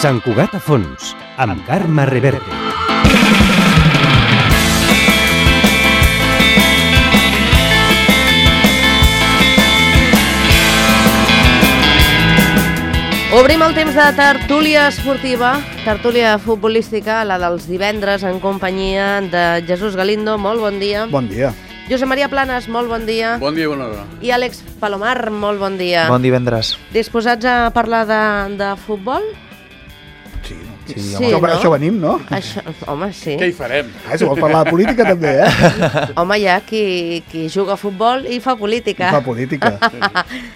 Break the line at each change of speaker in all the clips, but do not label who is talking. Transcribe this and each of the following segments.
Sant Cugat a fons, amb Carme Reverte.
Obrim el temps de tertúlia esportiva, tertúlia futbolística, la dels divendres, en companyia de Jesús Galindo. Molt bon dia.
Bon dia.
Josep Maria Planes, molt bon dia.
Bon dia i bona hora.
I Àlex Palomar, molt bon dia.
Bon divendres.
Disposats a parlar de futbol?
Sí,
Sí, no?
Això venim, no?
Home, sí.
Què hi farem?
Si vols parlar de política també,
Home, hi ha qui juga a futbol i fa política.
Fa política.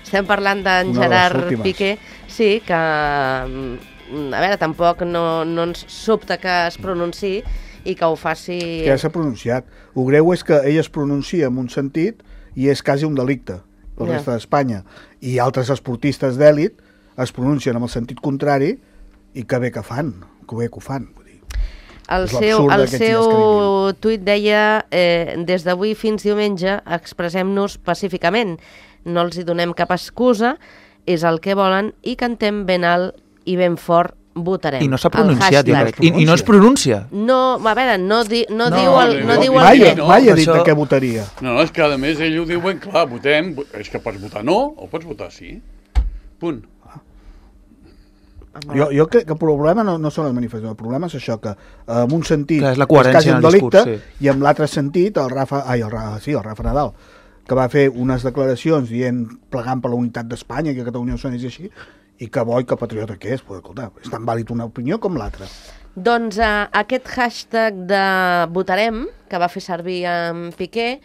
Estem parlant d'en
Una de les
Gerard
últimes.
Piqué, sí, que, a veure, tampoc no ens sobta que es pronunciï i que ho faci...
Que ja s'ha pronunciat. El greu és que ell es pronuncia en un sentit i és quasi un delicte per la resta d'Espanya. I altres esportistes d'èlit es pronuncien amb el sentit contrari i que bé que fan, que bé que ho fan. Vull dir.
El
És l'absurd
seu
d'aquests dies que vivim.
tuit deia des d'avui fins diumenge expressem-nos pacíficament, no els hi donem cap excusa, és el que volen i cantem ben alt i ben fort votarem.
I no s'ha pronunciat, jo
hashtag.
crec. I no es pronuncia.
No, a veure, no diu el
Mai
què.
ha dit
això-
de què votaria.
No, és que a més ell ho diu ben clar, votem, és que pots votar no o pots votar sí. Punt.
Jo crec que el problema no són les manifestacions, el problema és això, que en un sentit
Clar, és la coherència
quasi un
en el
delicte,
discurs,
i en l'altre sentit el Rafa Nadal, que va fer unes declaracions dient, plegant per la unitat d'Espanya, que Catalunya no sonés així, i que bo i que patriota que és, pues, escolta, és tan vàlid una opinió com l'altra.
Doncs aquest hashtag de votarem, que va fer servir en Piqué,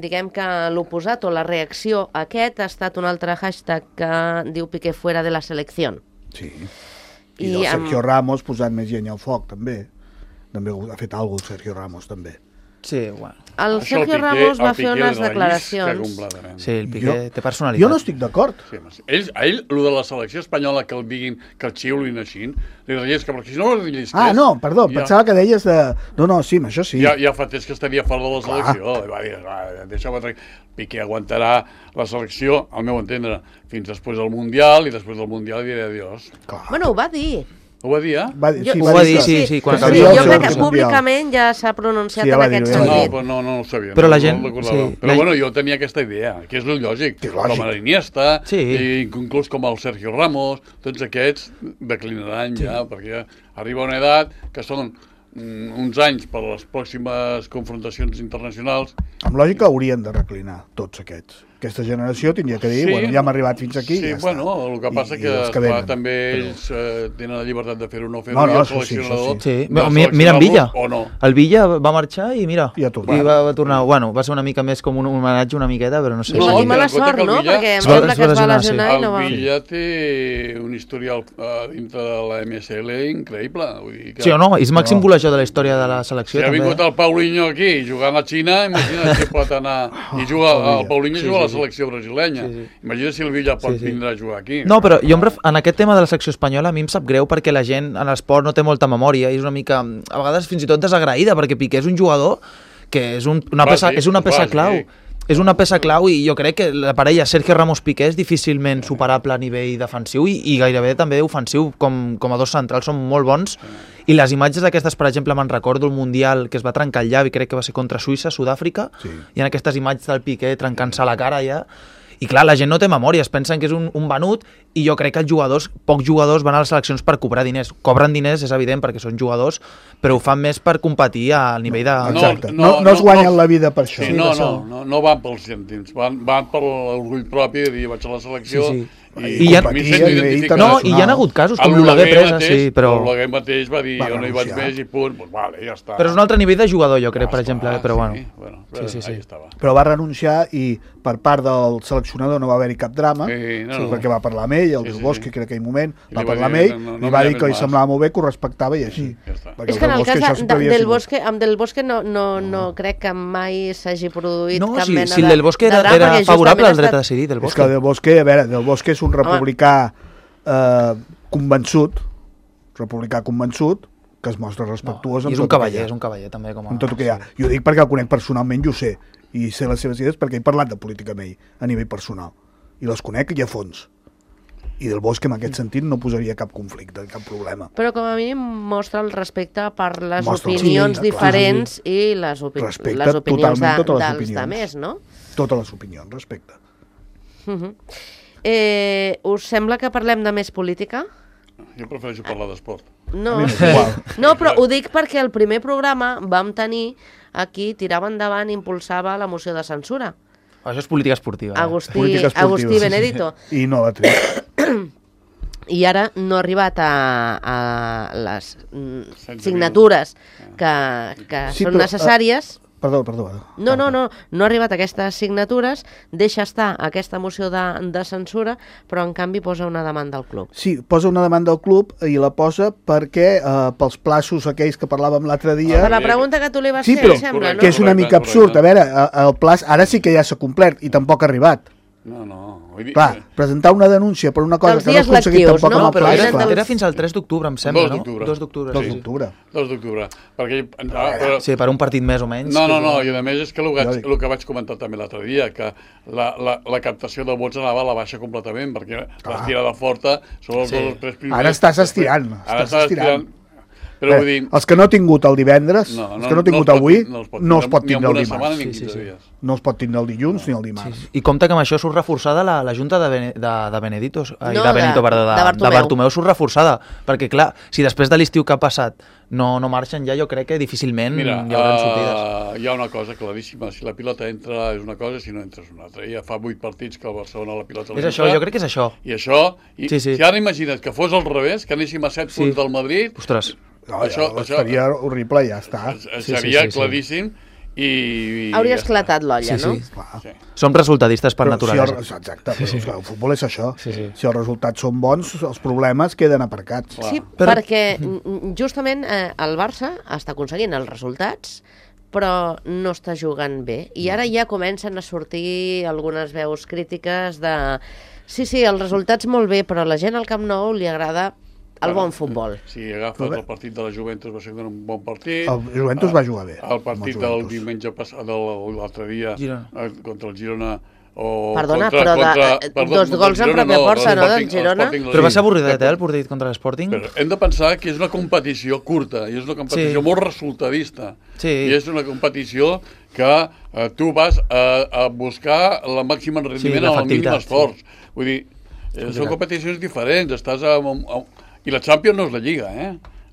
diguem que l'oposat o la reacció a aquest ha estat un altre hashtag que diu Piqué fuera de la selecció.
Sí. I del Sergio Ramos posant més llenya al foc, també. També ha fet alguna cosa el Sergio Ramos, també.
Sí, bueno.
El Sergio Ramos va fer unes declaracions.
Sí, el Piqué té personalitat.
Jo no estic d'acord.
Sí, a ell, el de la selecció espanyola, que el diguin, que el xiulin així, li rellisca, perquè si no el rellisqués...
No, perdó, pensava que deies de... No, sí, això sí.
Ja fa temps que estaria fora de la selecció. I va dir, deixa-me... Piqué aguantarà la selecció, al meu entendre, fins després del Mundial, i després del Mundial diré adiós.
Bueno, ho va dir.
Ho va dir, eh?
Ho va dir, sí.
Jo crec que públicament ja s'ha pronunciat en aquest sentit.
No ho sabia.
Però la gent...
Però bueno, jo tenia aquesta idea, que és el lògic. Com a l'Iniesta, i inclús com el Sergio Ramos, tots aquests declinaran ja, perquè arriba una edat que són uns anys per a les pròximes confrontacions internacionals.
Amb lògica haurien de reclinar tots aquests. Aquesta generació tindria que dir, bueno, ja hem arribat fins aquí,
sí,
ja
bueno,
està.
El que passa que també ells tenen la llibertat de fer-ho o no fer-ho, i el seleccionador...
Sí. Mira en Villa.
O no.
El Villa va marxar i mira,
I
va tornar. Bueno, va ser una mica més com un homenatge una miqueta, però no sé.
I mala sort, no? Perquè em sembla que es va lesionar i no va...
El Villa té un historial dintre de la MSL increïble.
Sí o no? És màxim golejador de la història de la selecció.
Si ha vingut el Paulinho aquí jugant a Xina, imagina't si pot anar... I el Paulinho juga a la selecció brasilenya. Imagina si el Villa pot vindre a jugar aquí.
No, però jo en aquest tema de la secció espanyola a mi em sap greu perquè la gent en l'esport no té molta memòria i és una mica, a vegades fins i tot desagraïda, perquè Piqué és un jugador que és una peça clau. És una peça clau i jo crec que la parella Sergio Ramos-Piqué és difícilment superable a nivell defensiu i gairebé també ofensiu, com a dos centrals són molt bons. I les imatges d'aquestes, per exemple, me'n recordo el Mundial que es va trencar el llavi, crec que va ser contra Suïssa, Sud-àfrica, i en aquestes imatges del Piqué trencant-se la cara ja. I clar, la gent no té memòria, es pensen que és un venut i jo crec que pocs jugadors van a les seleccions per cobrar diners. Cobren diners, és evident, perquè són jugadors, però ho fan més per competir al nivell de...
Exacte, no es guanyen la vida per això.
Sí, no van pels cèntims, van per l'orgull propi de dir vaig a la selecció...
I hi ha hagut casos com l'Oleguer Presa, però...
L'Oleguer mateix va dir jo no hi vaig més i punt, doncs vale, ja està.
Però és un altre nivell de jugador, jo crec, per exemple, però bueno.
Sí.
Però va renunciar i per part del seleccionador no va haver-hi cap drama, perquè va parlar amb ell, el Del Bosque, crec que en aquell moment, va parlar amb ell, i va dir que li semblava molt bé, que ho respectava i així.
És que en el cas amb Del Bosque no crec que mai s'hagi produït cap mena de drama.
Si el Del Bosque era favorable al dret a decidir, Del Bosque.
És que Del Bosque, a veure, Del Bosque és un republicà convençut, que es mostra respectuós
és un cavaller també.
Amb tot el que hi ha. Jo dic perquè el conec personalment i ho sé, i sé les seves idees perquè he parlat de política amb ell a nivell personal, i les conec i a fons. I Del Bosque en aquest sentit no posaria cap conflicte, cap problema.
Però com a mínim mostra el respecte per les
Mostra,
opinions
sí,
diferents i les opinions
totalment totes les
dels
opinions.
demés, no?
Totes les opinions, respecte.
Us sembla que parlem de més política?
Jo prefereixo parlar d'esport.
No.
A mi m'és igual.
No, però ho dic perquè el primer programa vam tenir aquí, tirava endavant, impulsava la moció de censura.
Això és política esportiva.
Política esportiva.
Agustí Benedito.
I no la tret.
I ara no ha arribat a les signatures que
Sí,
són
però,
necessàries.
Perdó.
No ha arribat a aquestes signatures, deixa estar aquesta moció de censura, però en canvi posa una demanda al club.
Sí, posa una demanda al club i la posa perquè pels plaços aquells que parlàvem l'altre dia...
Per la pregunta que tu li vas
Sí,
fer,
però
em sembla, no?
que és una mica absurd. A veure, el plaç ara sí que ja s'ha complert i tampoc ha arribat.
No. Vull dir,
Clar, presentar una denúncia per una cosa
Els
que no has
dies
aconseguit
lectius,
tampoc
no?
amb el
Però
plaç,
era-
clar.
era fins al 3 d'octubre, em sembla,
2
no?
d'octubre.
2 d'octubre,
2
sí.
d'octubre.
2 d'octubre. Perquè,
Sí, per un partit més o menys.
No, i a més és que
dic.
el que vaig comentar també l'altre dia, que la captació de vots anava a la baixa completament, perquè l'estirada forta són els 2 o 3 primers.
Ara estàs estirant,
Ara
estàs estirant.
Però vull dir...
Els que no ha tingut el divendres, els que no ha tingut avui, no els pot tindre el
Ni en una setmana
dimarts.
ni en 15 dies.
No els pot tindre el dilluns ni el dimarts.
I compte que amb això surt reforçada la junta de Benedito,
No,
de Benito, perdó,
de
de
Bartomeu.
Bartomeu surt reforçada, perquè clar, si després de l'estiu que ha passat no marxen ja, jo crec que difícilment
Mira,
hi haurà sortides.
hi ha una cosa claríssima, si la pilota entra és una cosa, si no entra és una altra. Ja fa 8 partits que el Barcelona la pilota
És això, jo crec que és això.
I això,
Sí.
si ara imagina't que fos al revés, que anéssim a 7 punts del Madrid,
Ostres,
No,
Això-
seria horrible i ja està.
seria
sí.
claríssim i...
Hauria
ja està.
esclatat l'olla,
Sí,
no?
sí.
Clar.
Sí.
som resultadistes per
Però
naturalesa.
exacte, però clar, el futbol és això.
Sí.
Si els resultats són bons, els problemes queden aparcats.
Sí,
Però-
perquè justament el Barça està aconseguint els resultats, però no està jugant bé. I ara ja comencen a sortir algunes veus crítiques de... Sí, els resultats molt bé, però a la gent al Camp Nou li agrada el bon futbol.
Si agafes el partit de la Juventus va ser un bon partit.
El Juventus va jugar bé.
El partit
amb el
del
Juventus.
diumenge passat, de l'altre dia,
Girona.
contra el Girona, o
Perdona,
contra,
però dos
contra
gols en
Girona,
pròpia porta, no, del
l'Sporting-
Girona?
l'Sporting
Però va ser
Lisbon.
avorridet, el partit contra l'Sporting?
Però hem de pensar que és una competició curta i és una competició
Sí.
molt resultadista.
Sí.
I és una competició que tu vas a buscar la màxima rendiment amb el mínim
l'efectivitat,
esforç. Vull dir, són competicions diferents. Estàs I la Champions no és la Lliga,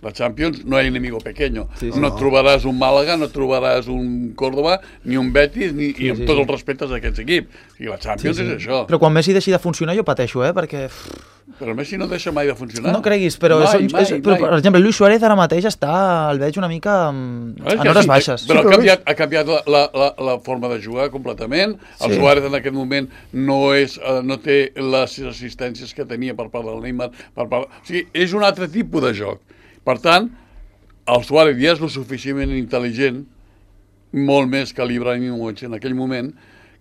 La Champions no hay enemigo pequeño. No et trobaràs un Màlaga, no et trobaràs un Córdoba, ni un Betis, i amb tots els respectes a aquests equips. I la Champions és això.
Però quan Messi deixi de funcionar jo pateixo, perquè...
Però Messi no deixa mai de funcionar.
No creguis, però, però per exemple, Luis Suárez ara mateix el veig una mica en hores baixes.
Però ha canviat la forma de jugar completament. El Suárez en aquest moment no té les assistències que tenia per part del Neymar. O sigui, és un altre tipus de joc. Per tant, el Suárez ja és lo suficientment intel·ligent, molt més que l'Ibrahimovic en aquell moment,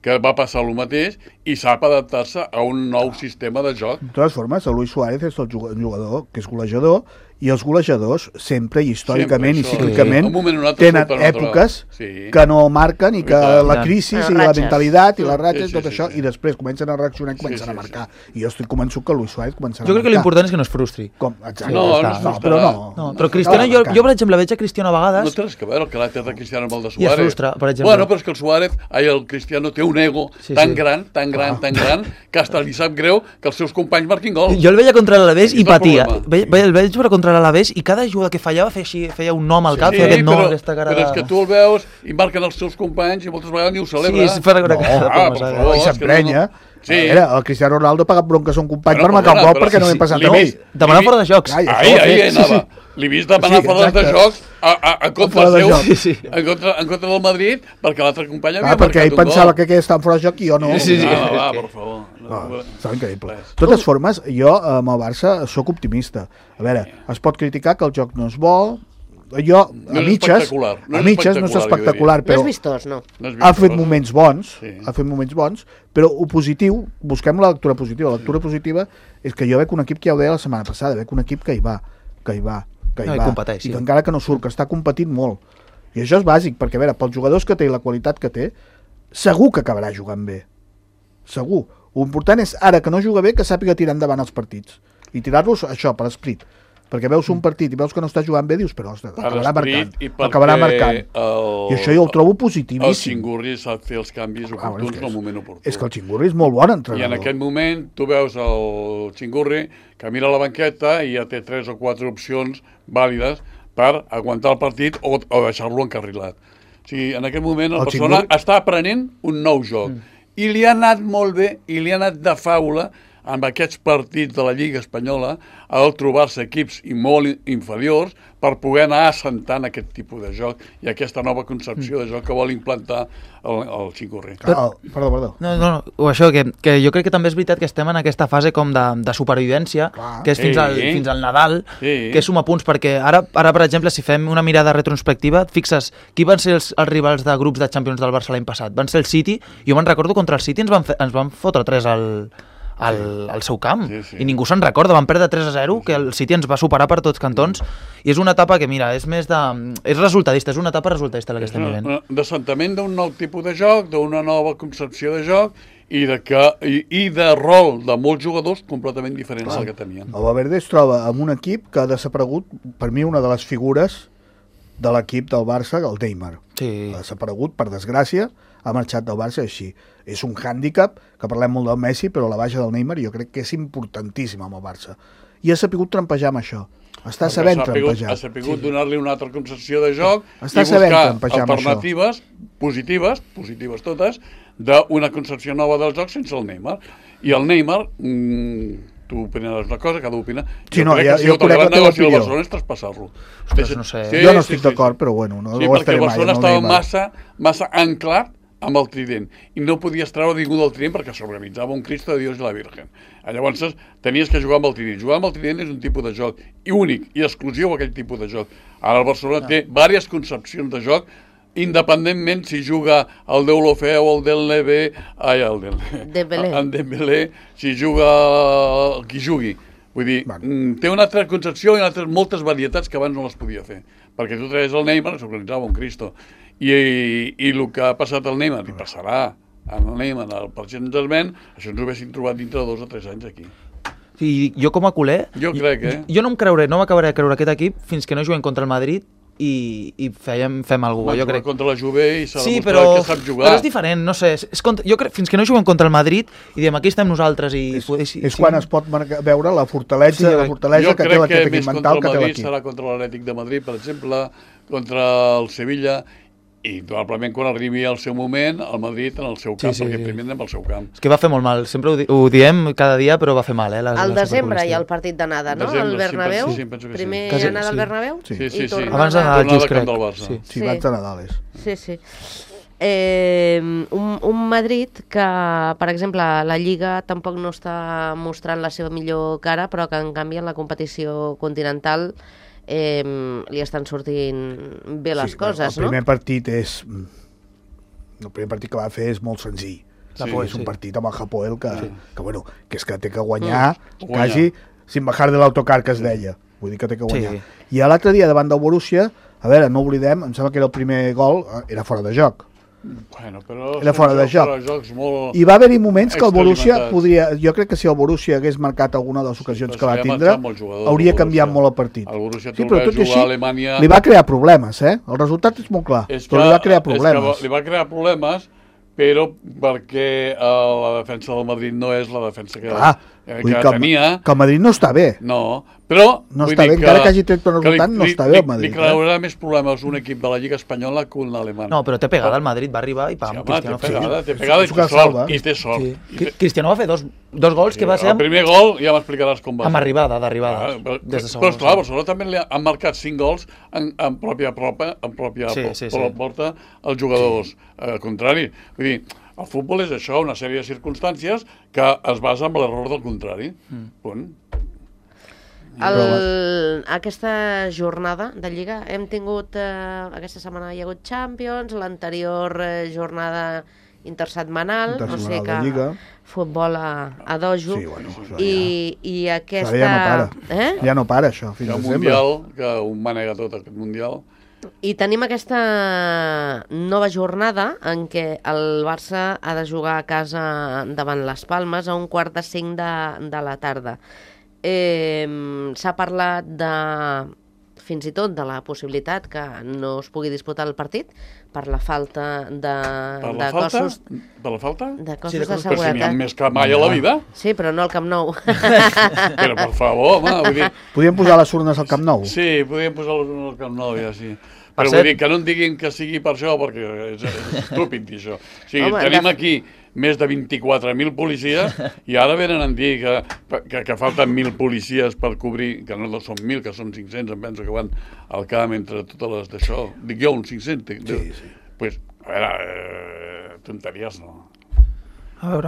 que va passar el mateix i sap adaptar-se a un nou sistema de joc.
De totes formes, el Luis Suárez és el jugador que és golejador, i els golejadors sempre i històricament i cíclicament tenen èpoques que no marquen i que la crisi i la mentalitat i les ratxes, tot això, i després comencen a reaccionar i comencen a marcar. I jo estic convençut que el Luis Suárez començarà a marcar.
Jo crec que l'important és que no es frustri.
Exacte.
No,
però no.
Però Cristiano, jo per exemple veig a Cristiano a vegades...
No té res que veure el caràcter de Cristiano amb el de
I es
Suárez.
frustra, per exemple.
Bueno, però és que el Cristiano té un ego tan gran, que hasta li sap greu que els seus companys marquin gol.
Jo el veia contra l'Alavés i patia. El veig jugar contra l'Alavés i cada jugada que fallava feia un nom al cap, feia aquest nom, aquesta cara de...
Però és que tu el veus i marquen els seus companys i moltes vegades ni ho celebra.
Sí, per una cara
per favor,
I s'emprenya.
Sí.
El Cristiano Ronaldo ha pagat bronca a un company per marcar un gol perquè no m'he passat a ell.
Demanar fora de jocs.
Ahí anava. L'he vist demanar fora de jocs en contra seu, en contra del Madrid, perquè l'altre company havia marcat un gol.
Perquè ell pensava que aquell estava fora de joc i jo no.
Va, per favor.
Està increïble. De totes formes, jo amb el Barça sóc optimista. A veure, es pot criticar que el joc no és bo, jo, a mitges no és espectacular,
No
però
és vistós, no.
ha fet moments bons, però ho positiu, busquem la lectura positiva. La lectura positiva és que jo veig un equip que ja ho deia la setmana passada, veig un equip que hi va, i que encara que no surt, que està competint molt. I això és bàsic, perquè a veure, pels jugadors que té i la qualitat que té, segur que acabarà jugant bé. Segur. L'important és, ara que no juga bé, que sàpiga tirar endavant els partits. I tirar-los, això, per esprit. Perquè veus un partit i veus que no està jugant bé, dius, però ostres, acabarà marcant. I això jo ho trobo positivíssim.
El Xingurri sap fer els canvis oportuns en el moment oportú.
És que el Xingurri és molt bon entrenador.
I en aquest moment tu veus el Xingurri que mira la banqueta i ja té 3 o 4 opcions vàlides per aguantar el partit o deixar-lo encarrilat. O sigui, en aquest moment la persona està aprenent un nou joc. I li ha anat molt bé, i li ha anat de faula amb aquests partits de la Lliga Espanyola al trobar-se equips molt inferiors per poder anar assentant aquest tipus de joc i aquesta nova concepció de joc que vol implantar el Xingurri.
Perdó.
No, això, que jo crec que també és veritat que estem en aquesta fase com de supervivència, que és fins al Nadal, que suma punts, perquè ara, per exemple, si fem una mirada retrospectiva, et fixes, qui van ser els rivals de grups de Champions del Barça l'any passat? Van ser el City, jo me'n recordo contra el City ens van fotre 3 al seu camp, i ningú se'n recorda, van perdre 3-0, que el City ens va superar per tots cantons, i és una etapa que, mira, és resultadista, és una etapa resultadista la que estem vivint.
D'assentament d'un nou tipus de joc, d'una nova concepció de joc, i de rol de molts jugadors completament diferents del que tenien.
El Valverde es troba amb un equip que ha desaparegut, per mi, una de les figures de l'equip del Barça, el Neymar. Ha desaparegut, per desgràcia, ha marxat del Barça així. És un hàndicap, que parlem molt del Messi, però la baixa del Neymar jo crec que és importantíssima amb el Barça. I ha sapigut trampejar amb això. Està sabent trampejar.
Ha sapigut donar-li una altra concepció de joc i buscar alternatives positives totes, d'una concepció nova del joc sense el Neymar. I el Neymar, tu opinaràs una cosa, cada opina.
Jo crec que la teva opinió.
El Barcelona és traspassar-lo.
No sé.
Jo no estic d'acord, però bueno, no ho estaré mai.
Sí, perquè el Barcelona estava massa anclat amb el trident, i no podies treure ningú del trident perquè s'organitzava un Cristo de Dios i la Virgen. Llavors tenies que jugar amb el trident. Jugar amb el trident és un tipus de joc únic i exclusiu aquell tipus de joc. Ara el Barcelona té diverses concepcions de joc, independentment si juga el Deulofeu o el Dembélé, si juga qui jugui. Vull dir, té una altra concepció i moltes varietats que abans no les podia fer. Perquè tu traies el Neymar, s'organitzava un Cristo. I el que ha passat al Neymar, i passarà al Neymar, al Paris Saint-Germain, això ens ho haguessin trobat dintre de 2 o 3 anys aquí.
I jo com a culer, jo no m'acabaré de creure aquest equip fins que no juguem contra el Madrid i fem alguna cosa. Jo crec
contra la Juve i s'ha demostrat que sap jugar.
Però és diferent, no sé. Jo crec fins que no juguem contra el Madrid i diem aquí estem nosaltres.
És quan es pot veure la fortalesa que té l'equip mental que té l'equip.
Jo crec que més contra el Madrid serà contra l'Atlètic de Madrid, per exemple, contra el Sevilla, i probablement quan arribi al seu moment el Madrid en el seu camp, perquè primer anem al seu camp.
És que va fer molt mal, sempre ho diem cada dia, però va fer mal.
Al desembre hi ha el partit d'anada, no? Al Bernabéu? Primer anada al Bernabéu?
Sí.
Abans de Nadal, just crec.
Sí, abans de Nadal és.
Sí. Un Madrid que, per exemple, la Lliga tampoc no està mostrant la seva millor cara, però que en canvi en la competició continental li estan sortint bé les coses, no?
El primer partit que va fer és molt senzill. És un partit amb el Hapoel que és que té que guanyar quasi sin bajar de l'autocar, que es deia. Vull dir que té que guanyar. I l'altre dia davant del Borussia, a veure, no oblidem, em sembla que era el primer gol, era fora de joc.
Era
fora de joc. I va haver-hi moments que el Borussia podria... Jo crec que si el Borussia hagués marcat alguna de les ocasions que va tindre, hauria canviat molt el partit.
El Borussia tot i així, Alemanya...
Li va crear problemes, El resultat és molt clar, però li va crear problemes.
Li va crear problemes, però perquè la defensa del Madrid no és la defensa que tenia.
Que el Madrid no està bé.
No, però...
No està bé, encara que hagi tret un resultat, no està bé el Madrid.
Li creurà més problemes un equip de la Lliga Espanyola que un alemany.
No, però té pegada el Madrid, va arribar i pam,
Cristiano té pegada i té sort.
Cristiano va fer dos gols que va ser...
El primer gol ja m'explicaràs com va.
Amb arribada.
Però esclar, Barcelona també li han marcat 5 gols en pròpia porta els jugadors contraris. Vull dir, el futbol és això, una sèrie de circumstàncies que es basa en l'error del contrari. Punt.
Aquesta jornada de Lliga hem tingut, aquesta setmana hi ha hagut Champions, l'anterior jornada intersetmanal, no sé que futbol a dojo, i aquesta...
Ja no para això, fins al
Mundial, que un manega tot aquest Mundial,
I tenim aquesta nova jornada en què el Barça ha de jugar a casa davant les Palmes a 4:45 de la tarda. S'ha parlat fins i tot de la possibilitat que no es pugui disputar el partit per la falta de cossos...
Per la falta?
De cossos de
Però si
seguretat.
n'hi ha més que mai a la vida.
Sí, però no al Camp Nou.
Però, per favor, home, vull dir...
Podríem posar les urnes al Camp Nou?
Sí, podríem posar les urnes al Camp Nou, ja, sí. Però vull dir que no en diguin que sigui per això, perquè és estúpid dir això. O sigui, tenim aquí més de 24.000 policies i ara venen a dir que falten 1.000 policies per cobrir, que no són 1.000, que són 500, em penso que van al camp entre totes les d'això. Dic jo, uns 500. Sí, sí. Pues, a veure, tonteries no.
A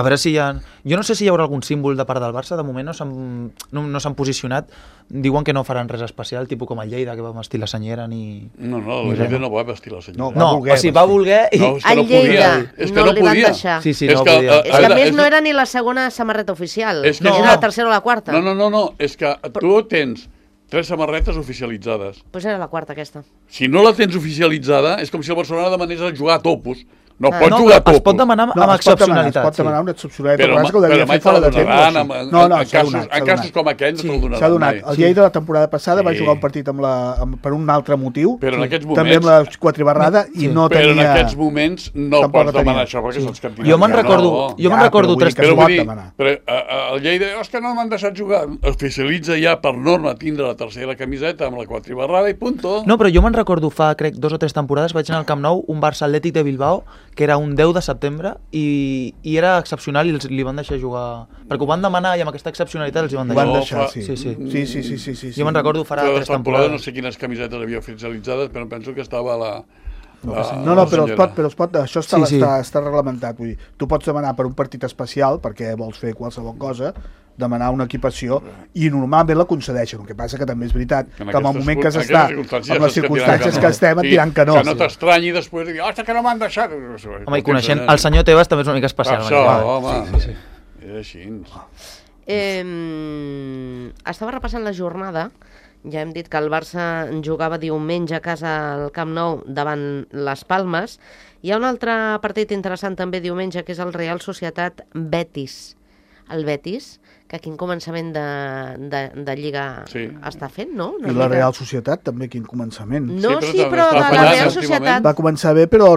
veure si hi ha... Jo no sé si hi haurà algun símbol de part del Barça, de moment no s'han posicionat, diuen que no faran res especial, tipus com el Lleida, que va vestir la senyera, ni...
No, el Lleida no va vestir la senyera.
No, o sigui, va voler...
No, és que no podia. És que no
li van
podia.
deixar.
Sí, no podia.
És que a més no era ni la segona samarreta oficial, era la tercera o la quarta.
No, és que tu tens 3 samarretes oficialitzades.
Doncs era la quarta, aquesta.
Si no la tens oficialitzada, és com si el Barcelona demanés a jugar a topos. No pot jugar a topos.
Es pot demanar amb excepcionalitat.
Es pot demanar una excepcionalitat.
Però mai te la donaran. En casos com aquells no te'l donaran.
S'ha donat. El Lleida la temporada passada va jugar un partit per un altre motiu, també amb la quatribarrada, i no tenia...
Però en aquests moments no pots demanar això, perquè saps que...
Jo me'n recordo 3
Però el Lleida, és que no m'han deixat jugar. Oficialitza ja per norma tindre la tercera camiseta amb la quatribarrada i punto.
No, però jo me'n recordo fa, crec, 2 o 3 temporades vaig anar al Camp Nou, un Barça Atlètic de Bilbao, que era un 10 de setembre, i era excepcional i li van deixar jugar. Perquè ho van demanar i amb aquesta excepcionalitat els hi van deixar.
Ho van deixar,
sí. Jo me'n recordo farà 3 temporades.
No sé quines camisetes havia oficialitzades, però penso que estava la...
No, però es pot, això està reglamentat. Vull dir, tu pots demanar per un partit especial, perquè vols fer qualsevol cosa, demanar una equipació, i normalment la concedeixen. El que passa que també és veritat que en el moment que s'està, amb les circumstàncies que estem, et diran que no.
Que no t'estranyi després de dir, ostres, que no m'han deixat.
Home, i coneixent el senyor Tebas també és una mica especial.
Això, home, és així.
Estava repassant la jornada. Ja hem dit que el Barça jugava diumenge a casa al Camp Nou davant les Palmes. Hi ha un altre partit interessant també diumenge, que és el Real Societat Betis. El Betis, que quin començament de Lliga està fent, no?
I la Real Societat també, quin començament.
No, sí, però de la Real Societat...
Va començar bé, però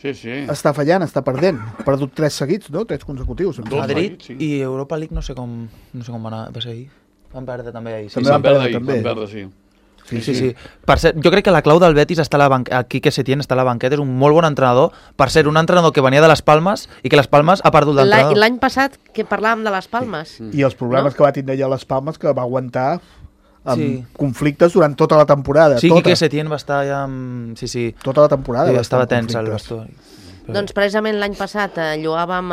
Sí.
Està fallant, està perdent. Ha perdut 3 seguits, no? 3 consecutius.
Madrid i Europa League no sé com va anar, va ser ahir. Van perdre també ahir.
Van perdre,
sí.
Sí. Per cert, jo crec que la clau del Betis està a Quique Setién, està a la banqueta, és un molt bon entrenador. Per ser un entrenador que venia de les Palmes i que les Palmes ha perdut l'entrenador.
L'any passat que parlàvem de les Palmes.
I els problemes que va tindre allà a les Palmes, que va aguantar amb conflictes durant tota la temporada.
Sí, Quique Setién va estar ja amb... Sí.
Tota la temporada.
Estava tens al vestuari.
Doncs precisament l'any passat lloàvem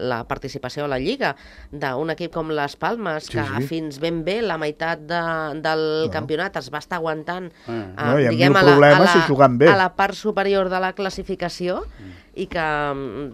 la participació a la Lliga d'un equip com les Palmes, que fins ben bé la meitat del campionat es va estar aguantant diguem, a la part superior de la classificació, i que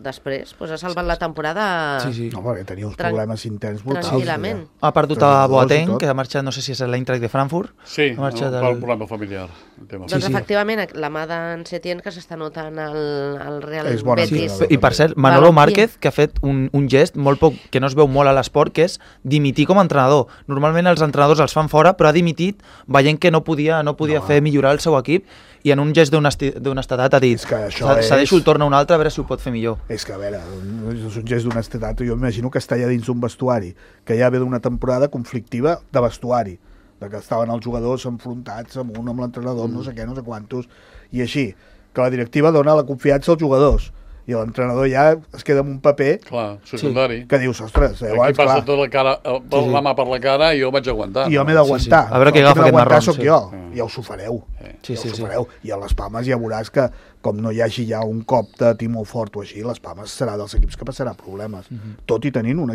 després ha salvat la temporada
no, perquè tenia uns problemes interns
tranquil·lament.
Ha perdut a Boateng, que ha marxat, no sé si és l'Eintracht de Frankfurt.
Sí, pel problema familiar.
Doncs efectivament, la mà d'en Setién, que s'està notant el Real Betis.
I per cert, Manolo Márquez, que ha fet un gest molt poc, que no es veu molt a l'esport, que és dimitir com a entrenador. Normalment els entrenadors els fan fora, però ha dimitit veient que no podia fer millorar el seu equip, i en un gest d'honestedat ha dit cedeixo el torn a un altre a veure si ho pot fer millor.
És que, a veure, és un gest d'honestedat. Jo m'imagino que està allà dins d'un vestuari, que ja ve d'una temporada conflictiva de vestuari, de que estaven els jugadors enfrontats amb l'entrenador, no sé què, no sé quantos, i així, que la directiva dona la confiança als jugadors, i l'entrenador ja es queda amb un paper
secundari,
que dius, ostres,
aquí passa tota la mà per la cara i jo vaig aguantar.
I jo m'he d'aguantar.
A veure què agafa aquest marrón.
Soc jo, ja us ho fareu. I a les Palmes ja veuràs que, com no hi hagi ja un cop de timó fort o així, les Palmes serà dels equips que passarà problemes. Tot i tenint un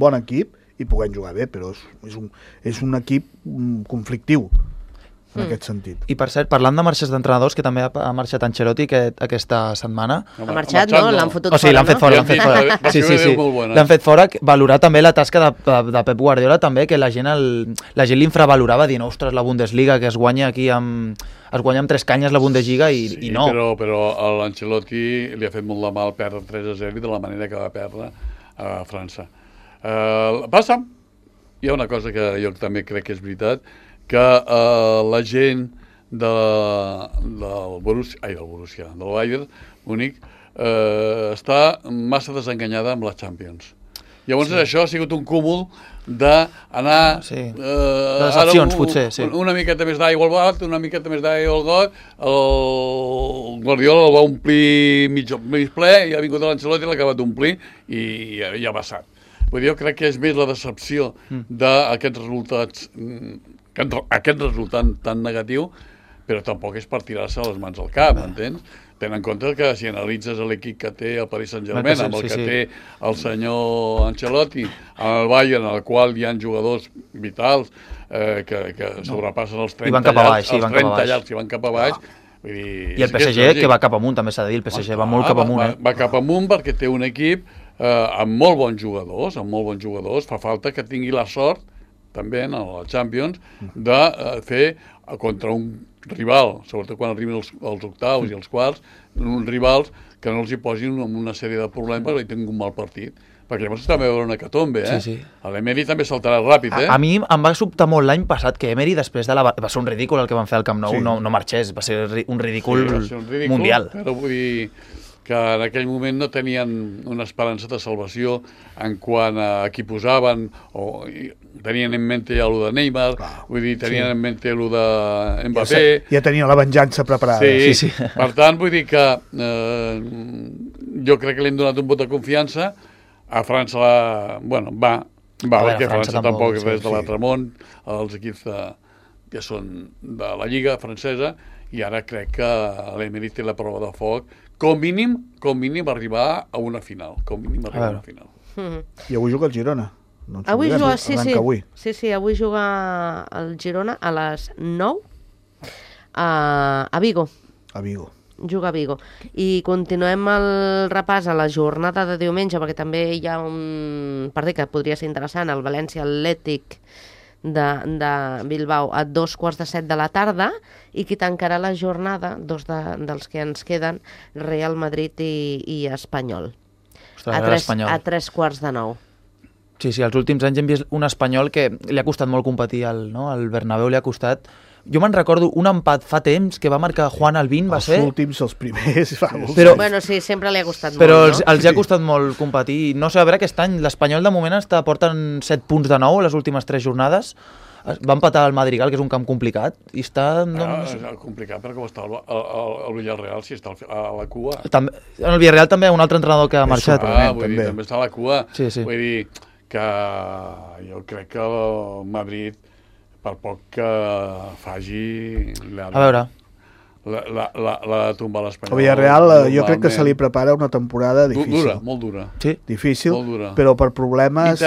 bon equip i puguem jugar bé, però és un equip conflictiu. en aquest sentit.
I per cert, parlant de marxes d'entrenadors, que també ha marxat Ancelotti aquesta setmana.
Ha marxat, no? L'han fotut fora,
sí, l'han fet fora, l'han fet fora. Sí. L'han fet fora, valorar també la tasca de Pep Guardiola, també, que la gent l'infravalorava, dient, ostres, la Bundesliga, que es guanya aquí amb 3 canyes la Bundesliga i no.
Però a l'Ancelotti li ha fet molt de mal perdre 3-0 i de la manera que va perdre a França. Passa, hi ha una cosa que jo també crec que és veritat, que la gent del Bayern Múnich està massa desenganyada amb la Champions. Llavors això ha sigut un cúmul d'anar
decepcions, potser,
una miqueta més d'aigua al got, una miqueta més d'aigua al got, el Guardiola el va omplir mig ple i ha vingut l'Ancelotti i l'ha acabat d'omplir i ja ha passat. Vull dir, jo crec que és més la decepció d'aquests resultats, aquest resultat tan negatiu, però tampoc és per tirar-se les mans al cap, entens? Ten en compte que si analitzes l'equip que té el Paris Saint-Germain, amb el que té el senyor Ancelotti, el Bayern, en el qual hi ha jugadors vitals que sobrepassen els 30 llargs i van cap a baix.
I el PSG, que va cap amunt, també s'ha de dir, el PSG va molt cap amunt.
Va cap amunt perquè té un equip amb molt bons jugadors, fa falta que tingui la sort també en la Champions, de fer contra un rival, sobretot quan arribin els octaus i els quarts, uns rivals que no els hi posin en una sèrie de problemes perquè tinguin un mal partit. Perquè llavors també va haver una hecatombe, l'Emery també saltarà ràpid,
A mi em va sobtar molt l'any passat que Emery, després de va ser un ridícul el que van fer al Camp Nou, no marxés, va ser un ridícul mundial.
Però vull dir que en aquell moment no tenien una esperança de salvació en quant a qui posaven, o tenien en mente ja allò de Neymar, vull dir, tenien en mente allò de Mbappé.
Ja tenia la venjança preparada.
Sí. Per tant, vull dir que jo crec que li hem donat un vot de confiança. A França, perquè França tampoc és res de l'altre món, els equips que són de la Lliga francesa, i ara crec que l'Emery té la prova de foc, com mínim arribar a una final.
I avui juga el Girona.
Avui juga, sí, avui juga el Girona a les 9 a Vigo. Juga a Vigo. I continuem el repàs a la jornada de diumenge, perquè també hi ha un partit que podria ser interessant, el València Atlètic de Bilbao a 2:15 de la tarda, i qui tancarà la jornada, dos dels que ens queden, Real Madrid i Espanyol. A 3:15.
Sí, els últims anys hem vist un Espanyol que li ha costat molt competir al Bernabéu, li ha costat. Jo me'n recordo un empat fa temps que va marcar Juan Albín, va ser...
Els últims, els primers...
Bueno, sí, sempre li ha costat molt,
però els ha costat molt competir. No sé, a veure, aquest any l'Espanyol de moment porten 7 punts de 9 les últimes 3 jornades. Va empatar el Madrigal, que és un camp complicat, i està...
És complicat, però com està el Villarreal, si està a la cua.
En el Villarreal també hi ha un altre entrenador que ha marxat.
Vull dir, també està a la cua. Vull dir que jo crec que el Madrid, per poc que faci...
A veure...
L'ha de tombar l'Espanyol.
El Villarreal jo crec que se li prepara una temporada difícil.
Molt dura.
Sí.
Difícil, però per problemes...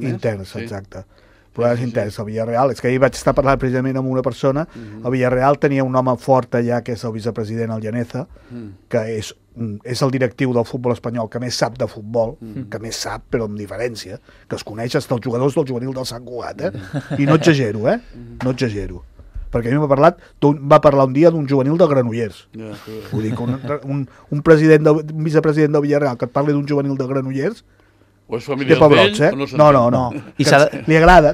Interns,
exacte. Problemes interns. El Villarreal, és que ahir vaig estar parlant precisament amb una persona, el Villarreal tenia un home fort allà, que és el vicepresident, el Llaneza, que és el directiu del futbol espanyol que més sap de futbol, que més sap, però amb diferència, que es coneix fins als jugadors del juvenil del Sant Cugat, I no exagero, no exagero. Perquè a mi va parlar un dia d'un juvenil de Granollers. Vull dir que un vicepresident del Villarreal que et parli d'un juvenil de Granollers,
o és familiar d'ell,
no. Li agrada,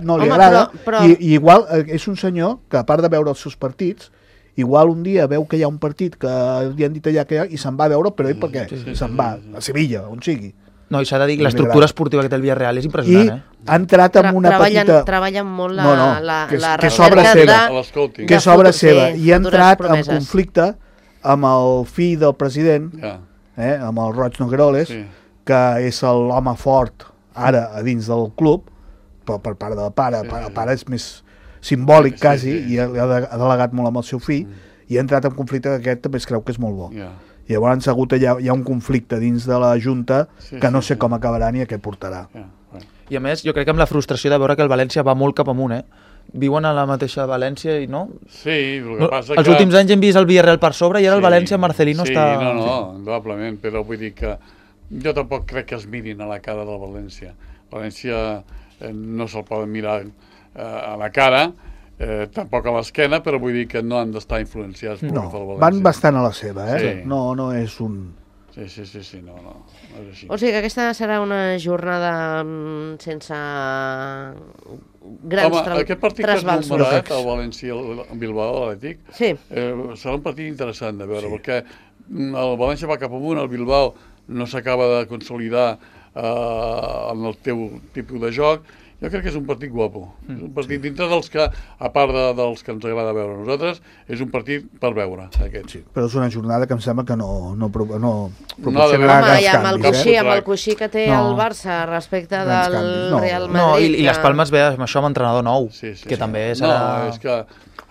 i igual és un senyor que, a part de veure els seus partits, igual un dia veu que hi ha un partit que li han dit allà que i se'n va a veure, però ell per què? Se'n va a Sevilla, on sigui.
No, i s'ha de dir que l'estructura esportiva que té el Villarreal és impressionant,
ha entrat amb una petita...
Treballen molt la
recerca, que és obra seva, i ha entrat en conflicte amb el fill del president, amb el Roig Nogueroles, que és l'home fort ara a dins del club, però per part del pare, el pare és més simbòlic quasi, i ha delegat molt amb el seu fill, i ha entrat en conflicte que aquest també es creu que és molt bo. I llavors hi ha un conflicte dins de la Junta que no sé com acabarà ni a què portarà.
I a més, jo crec que amb la frustració de veure que el València va molt cap amunt, viuen a la mateixa València i no?
Sí, el que passa
Els últims anys hem vist el Villarreal per sobre i ara el València, Marcelino està...
Sí, indudablement, però vull dir que jo tampoc crec que es mirin a la cara del València. València no se'l poden mirar a la cara, tampoc a l'esquena, però vull dir que no han d'estar influenciats pel València.
Van bastant a la seva,
Sí.
No és un...
Sí, no és així.
O sigui que aquesta serà una jornada sense grans trasbals.
Aquest partit que has numerat, el València el Bilbao, l'Atlètic, serà un partit interessant de veure, perquè el València va cap amunt, el Bilbao no s'acaba de consolidar en el teu tipus de joc. Jo crec que és un partit guapo. És un partit dintre dels que, a part dels que ens agrada veure a nosaltres, és un partit per veure, aquest.
Sí, però és una jornada que em sembla que no
Home,
proporcionarà grans canvis.
Amb el coixí que té el Barça respecte del Real Madrid...
I les Palmes ve amb això amb entrenador nou, que també serà...
No, és que...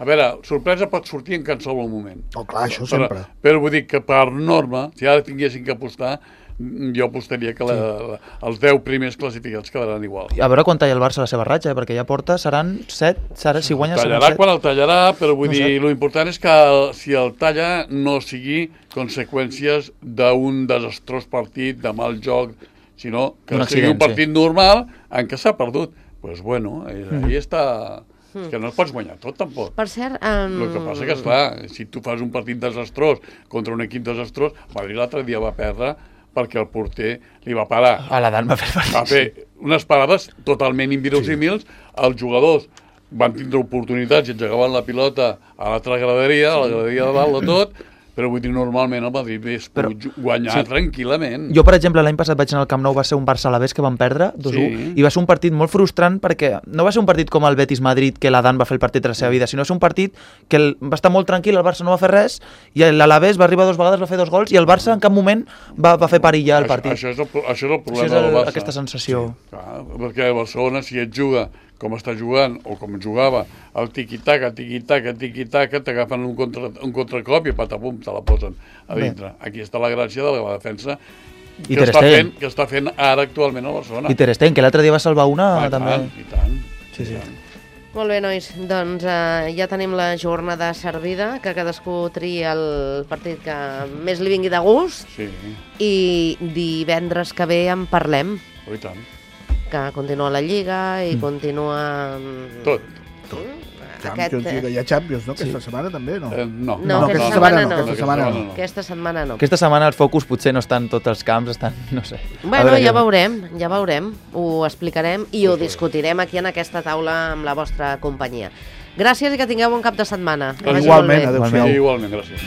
A veure, sorpresa pot sortir en qualsevol moment.
Oh, clar, això sempre.
Però vull dir que per norma, si ara tinguessin que apostar, jo apostaria que els 10 primers classificats quedaran igual.
A veure quan talla el Barça la seva ratxa, perquè ja porta, seran 7, si guanya seran 7.
Tallarà quan el tallarà, però vull dir, l'important és que si el talla no sigui conseqüències d'un desastrós partit, de mal joc, sinó que sigui un partit normal en què s'ha perdut. Doncs bueno, ahí està... És que no el pots guanyar tot, tampoc.
Per cert...
El que passa que, esclar, si tu fas un partit desastrós contra un equip desastrós, Madrid l'altre dia va perdre perquè el porter li va parar.
A l'Adán va
fer unes parades totalment inverosímils. Els jugadors van tindre oportunitats i engegaven la pilota a l'altra graderia, a la graderia de dalt de tot, però vull dir, normalment el Madrid es pot guanyar tranquil·lament.
Jo, per exemple, l'any passat vaig anar al Camp Nou, va ser un Barça-Alavés que van perdre 2-1, i va ser un partit molt frustrant perquè no va ser un partit com el Betis-Madrid, que l'Adán va fer el partit de la seva vida, sinó va ser un partit que va estar molt tranquil, el Barça no va fer res, i l'Alavés va arribar 2 vegades, va fer 2 gols, i el Barça en cap moment va fer perillar el partit.
Això és el problema del Barça.
Aquesta sensació.
Sí, clar, perquè a Barcelona, si et juga com està jugant, o com jugava, el tiqui-taca, t'agafen un contracop i patapum, te la posen a dintre. Aquí està la gràcia de la defensa que està fent ara actualment a Barcelona.
I Ter Stegen, que l'altre dia va salvar una, també.
I tant.
Sí.
Molt bé, nois, doncs ja tenim la jornada servida, que cadascú tria el partit que més li vingui de gust, i divendres que ve en parlem.
I tant.
Que continua la Lliga i continua...
Tot.
Hi ha Champions, no? Aquesta setmana també, no?
No, aquesta setmana no.
Aquesta
setmana no.
Aquesta setmana el focus potser no està en tots els camps, estan, no sé.
Bueno, ja veurem, ho explicarem i ho discutirem aquí en aquesta taula amb la vostra companyia. Gràcies i que tingueu un cap de setmana.
Igualment,
adéu-siau. Igualment, gràcies.